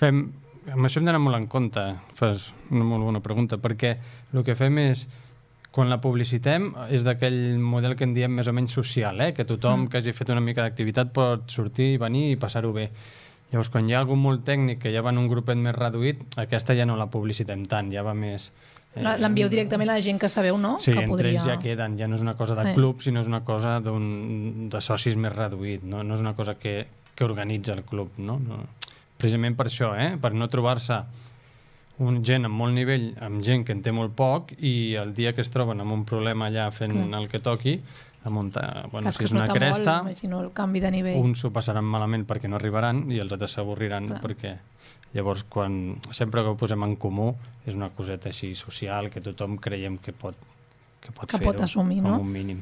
Amb això hem d'anar molt en compte, fas una molt bona pregunta, perquè el que fem és, quan la publicitem, és d'aquell model que en diem més o menys social, que tothom que hagi fet una mica d'activitat pot sortir, venir i passar-ho bé. Llavors, quan hi ha algú molt tècnic que ja va en un grupet més reduït, aquesta ja no la publicitem tant, ja va més... L'envieu directament a la gent que sabeu, no? Sí, que entre ells ja queden, ja no és una cosa de club, sinó és una cosa de socis més reduït, no és una cosa que organitza el club, no? Precisament per això, per no trobar-se gent amb molt nivell, amb gent que en té molt poc, i el dia que es troben amb un problema allà fent el que toqui, si és una cresta, el canvi de nivell. uns s'ho passaran malament perquè no arribaran i els altres s'avorriran, perquè llavors sempre que ho posem en comú és una coseta així social que tothom creiem que pot fer-ho assumir, com no? un mínim.